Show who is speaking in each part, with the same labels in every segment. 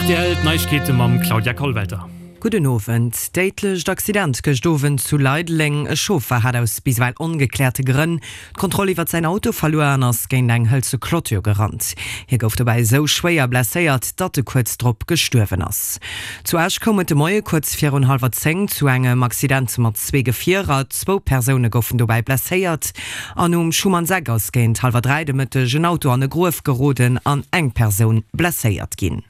Speaker 1: Rtl, D'Neiegkeete mam Claudia Kollwelter.
Speaker 2: Gudden Owend. Déidlecht Accident gëscht Owend zu Leideleng. E Chauffer hat aus bis ewell ongekläerte Grënn d'Kontroll iwwert säin Auto verluer an ass géint eng hëlze Clôture gerannt. Hie gouf dobäi esou schwéier blesséiert, datt e kuerz drop gestuerwen ass. Zu Esch koum et de Moie kuerz virun hallwer 10 zu engem Accident mat zwee Gefierer. Zwou Persoune goufen dobäi blesséiert. An um Schumannseck ass géint hallwer 3 de Mëtteg en Auto an e Gruef geroden an eng Persoun blesséiert ginn.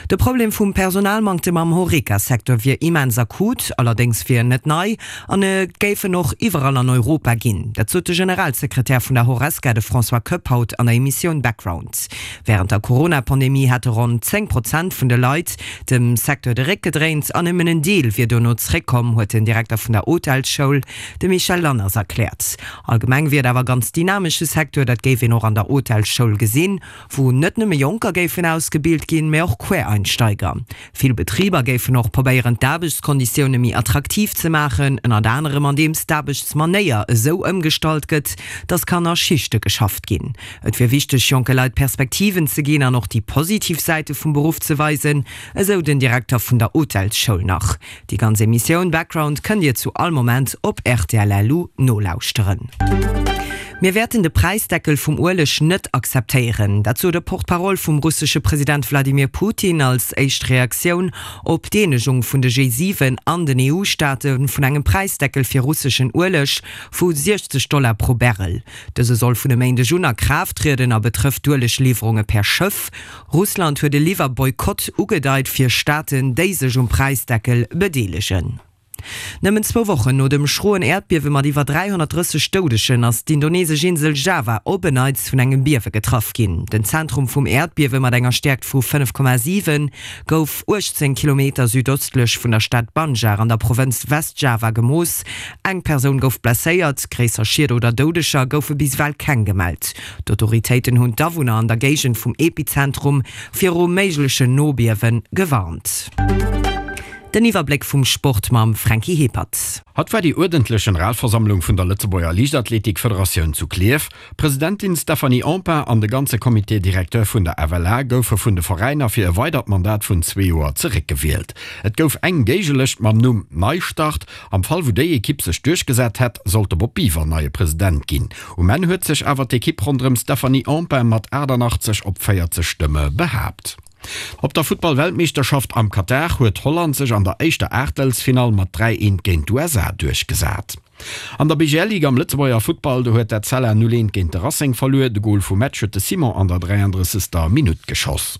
Speaker 2: De Problem vum Personalmanktem am Horeca-Secteur wier immens akut, allerdéngs wier en net nei an et géif en och iwwerall an Europa ginn. Dat sot de Generalsekretär vun der Horesca, de François Koepp, haut an der Emissioun Background. Wärend der Corona-Pandemie hätte ronn 10 Prozent vun de Leit dem Secteur de Réck gedréint an nëmmen en Deel wier dono zeréckkomm, huet den Direkter vun der Hotelsschoul, De Michel Lanners erkläert, allgemeng wier et awer ganz dynamesche Secteur, dat géif een och an der Hotelsschoul gesinn, wou net nëmme Jonker géifen ausgebilt ginn, mä och Quereinsteiger. Vill Betriber géifen och probéieren d'Aarbechtskonditioune méi attraktiv ze maachen, ënnert anerem andeems d'Aarbechtsmanéier esou ëmgestallt gëtt, datt kann a Schichte geschafft ginn. Et wier wichteg jonke Leit Perspektiven ze ginn an och déi positiv Säite vum Beruff ze weisen, esou den Direkter vun der Hotelsschoul nach. Déi ganz Emissioun Background kënnt Dir zu all Moment op rtl.lu nolauschteren. Mir wäerten de Präisdeckel vum Ueleg net akzeptéieren. Dat sot e Porte-parole vum russesche President Wladimir Putin als éischt Reaktioun op d'Eenegung vun de G7 an den EU-Staate vun engem Präisdeckel fir russeschen Ueleg vu 60 Dollar pro Barrel. Dëse soll vun e Méindeg un a Kraaft trieden a betrëfft d'Uelegliwwerunge per Schëff. Russland huet e Liwwerboykott ugedeit fir Staaten, déi sech um Präisdeckel bedeelegen. Nëmmen zwou Wochen no dem schroen Äerdbiewe mat iwwer 330 Doudegen ass d'indonesesch Insel Java op en Neits vun engem Biewe getraff ginn. Den Zentrum vum Äerdbiewe mat enger Stäerkt vu 5,7 gouf 18 Kilometer südöstlech vun der Stad Banjar an der Provënz West-Java gemooss. Eng Persoun gouf blesséiert, gréisser Schied oder Doudeger goufe bis ewell keng gemellt. D'Autoritéiten hunn d'Awunner an der Géigend vum Epizentrum viru méiglechen Nobiewe gewarnt. Den Iwwerbléck vum Sport mam Franky Hippert.
Speaker 3: Haut war déi uerdentlech Generalversammlung vun der Lëtzebuerger Liichtathletik-Federatioun zu Klierf. D'Presidentin Stephanie Empain an de ganze Comité directeur vun der FLA goufe vun de Veräiner fir e weidert Mandat vun zwee Joer zeréckgewielt. Et gouf eng Géigelëscht mam Numm Neistart. Am Fall wou déi Ekipp sech duerchgesat hätt, sollt de Bob Biver neie President ginn. Um Enn huet sech awer d'Ekipp ronderëm Stephanie Empain mat 88 op 40 Stëmme behaapt. Op der Futtball-Weltmeeschterschaft am Katar huet Holland sech an der éischter Aachtelsfinall mat 3, 1 géint d'USA duerchgesat. An der BGL-Ligue am Lëtzebuerger Futtball, do huet d'Etzella 0, 1 géint de Racing verluer. De Gol vum Match huet de Simon an der 33. Minutt geschoss.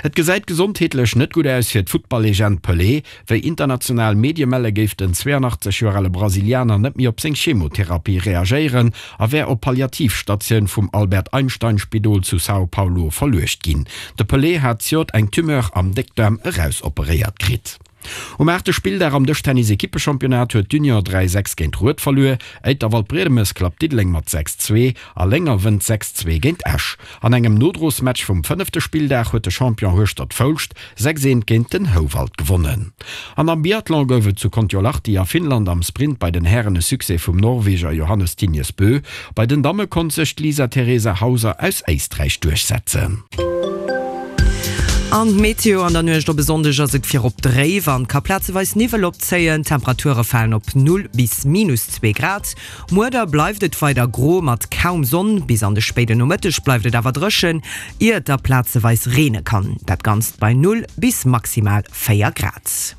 Speaker 3: Et gesäit gesondheetlech net gutt aus fir d'Futtballegend Pelé. Wéi international Medie melle géif den 82 Joer ale Brasilianer net méi op seng Chemotherapie reagéieren a wär op Palliativstatioun vum Albert Einstein Spidol zu Sao Paulo verluecht ginn. De Pelé hat zejoert eng Tumeur am Déckdaarm erausoperéiert kritt. Um aachte Spilldag am Dëschtennis-Ekippechampionnat huet d'Union 3, 6 géint Rued verluer. Éiter Waldbriedemes klappt Diddeleng mat 6, 2 a Lénger wënnt 6, 2 géint Esch. An engem Nodrosmatch vum fënnefte Spilldag huet de Champion Hueschtert-Foulscht 6, 1 géint den Houwald gewonnen. An am Biathlon gouf et zu Kontiolahti a Finnland am Sprint bei den Hären e Succès vum Norweger Johannes Thingnes Bö. Bei den Damme konnt sech d'Lisa Theresa Hauser aus Éisträich duerchsetzen.
Speaker 2: An d'Meteo, An der Nuecht op e Sonndeg ass et virop dréif an ka plazeweis Niwwel opzéien. D'Temperature falen op 0 bis minus 2 Grad. Muer da bleift et weider gro mat kaum Sonn. Bis an de spéiden Nomëtteg bleift et awer dréchen, ier et da plazeweis reene kann. Dat Ganzt bei 0 bis maximal 4 Grad.